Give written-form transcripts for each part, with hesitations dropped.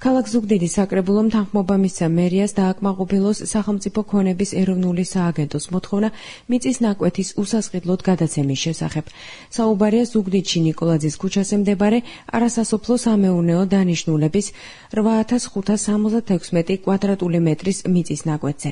ქალაქ ზუგდიდის საკრებულომ თანხმობა მისცა მერიას დააკმაყოფილოს სახელმწიფო ქონების ეროვნული სააგენტოს მოთხოვნა მიწის ნაკვეთის usasqidlod გადაცემის შესახებ. საუბარია ზუგდიდში ნიკოლაძის ქუჩაზე მდებარე არასასოფლო სამეურნეო დანიშნულების 8576 კვადრატული მეტრის მიწის ნაკვეთზე.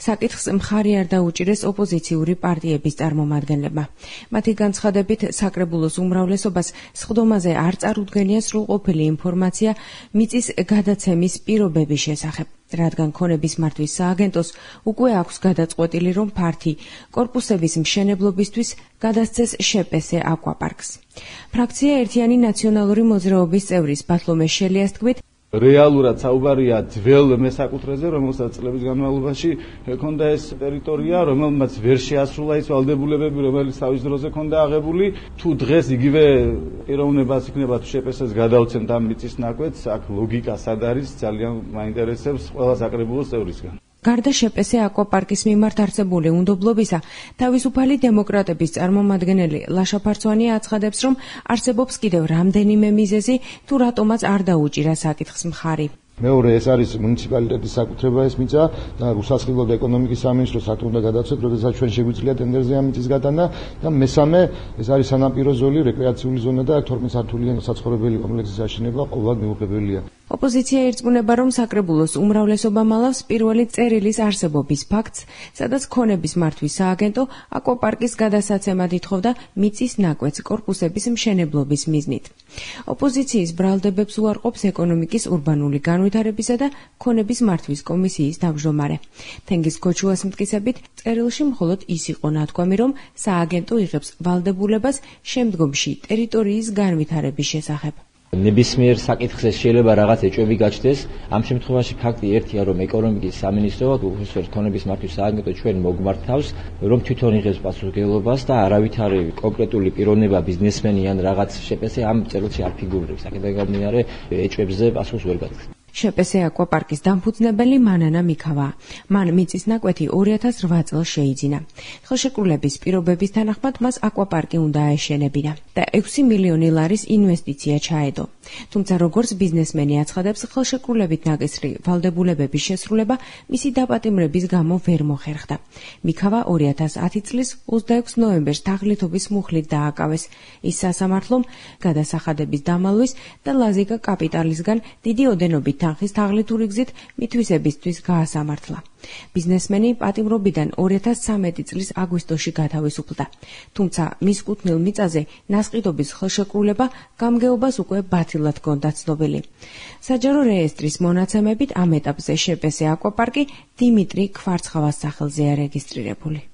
საკითხს მხარი არ დაუჭირეს ოპოზიციური პარტიების წარმომადგენლებმა. მათი განცხადებით, საკრებულოს უმრავლესობას სხდომაზე არ წარუდგენია სრულყოფილი ინფორმაცია მიწის გადაცემის პირობების შესახებ, რადგან ქონების მართვის სააგენტოს უკვე აქვს გადაწყვეტილი, რომ ფართი კორპუსების მშენებლობისთვის გადასცეს შპს აკვაპარკს. ფრაქცია ერთიანი ნაციონალური მოძრაობის წევრის ბათლომე შელიას თქმით, რეალურად საუბარია ძველ მესაკუთრეზე, რომელსაც წლების განმავლობაში ჰქონდა ეს ტერიტორია, რომელმაც ვერ შეასრულა ის ვალდებულებები, რომელიც თავის დროზე ჰქონდა აღებული. თუ დღეს იგივე პიროვნებას იქნება თუ შპს-ს გადავცემთ ამ მიწის ნაკვეთს, აქ ლოგიკა სად არის, ძალიან მაინტერესებს ყველა საკრებულოს წევრისგან. გარდა შპს აკვაპარკის მიმართ არსებული უნდობლობისა, თავისუფალი დემოკრატების წარმომადგენელი ლაშა ფარცვანი აცხადებს, რომ არსებობს კიდევ რამდენიმე მიზეზი, თუ რატომაც არ დაუჭირა საკითხს მხარი. მეორე ეს არის მუნიციპალიტეტის საკუთრება ეს მიწა და უსასყიდლოდ ეკონომიკის სამინისტროს აკ უნდა გადაცეთ, როდესაც ჩვენ შეგვიძლია ტენდერზე ამ მიწის გადანა და მესამე ეს არის სანაპირო ზოლი, რეკრეაციული ზონა და 12 სართულიანი საცხოვრებელი კომპლექსის აშენება ყოველად მიუღებელია. ოპოზიცია ირწმუნება, რომ საკრებულოს უმრავლესობა მალავს პირველი წერილის არსებობის ფაქტს, სადაც ქონების მართვის სააგენტო აკვაპარკის გადასაცემად ითხოვდა მიწის ნაკვეთს კორპუსების მშენებლობის მიზნით. ოპოზიციის ბრალდებებს უარყოფს ეკონომიკის ურბანული განვითარებისა და ქონების მართვის კომისიის თავმჯდომარე. თენგიზ ქოჩუას მტკიცებით, წერილში მხოლოდ ის იყო ნათქვამი, რომ სააგენტო იღებს ვალდებულებას შემდგომში ტერიტორიის განვითარების შესახებ. ნებისმიერ საკითხზე შეიძლება რაღაც ეჭვები გაჩნდეს. ამ შემთხვევაში ფაქტი ერთია, რომ ეკონომიკის სამინისტრო უხეშად ქონების მართვის სააგენტო ჩვენ მოგმართავს, რომ თვითონ იღებს პასუხისმგებლობას და არავითარი კონკრეტული პიროვნება, ბიზნესმენი ან რაღაც შპს ამ წერილში არ ფიგურირებს. აქედან გამომდინარე, ეჭვებზე პასუხს ვერ გადის. შპს აკვაპარკის დამფუძნებელი მანანა მიქავაა. მან მიწის ნაკვეთი 2008 წელს შეიძინა. ხელშეკრულების პირობების თანახმად მას აკვაპარკი უნდა აეშენებინა და 6 მილიონი ლარის ინვესტიცია ჩაედო. თუმცა როგორც ბიზნესმენი აცხადებს, ხელშეკრულებით ნაკისრი ვალდებულებების შესრულება მისი დაპატიმრების გამო ვერ მოხერხდა. მიქავა 2010 წლის 26 ნოემბერს თაღლითობის მუხლით დააკავეს. ის სასამართლომ გადასახადების დამალვის და ლაზიკა კაპიტალისგან დიდი ოდენობით თანხის თაღლითური გზით მითვისებისთვის გაასამართლა. ბიზნესმენი პატიმრობიდან 2013 წლის აგვისტოში გათავისუფლდა. თუმცა მის კუთვნილ მიწაზე ნასყიდობის ხელშეკრულება გამგეობას უკვე ბათილად ჰქონდა ცნობილი. საჯარო რეესტრის მონაცემებით ამ ეტაპზე შპს აკვაპარკი დიმიტრი ქვარცხავას სახელზეა რეგისტრირებული.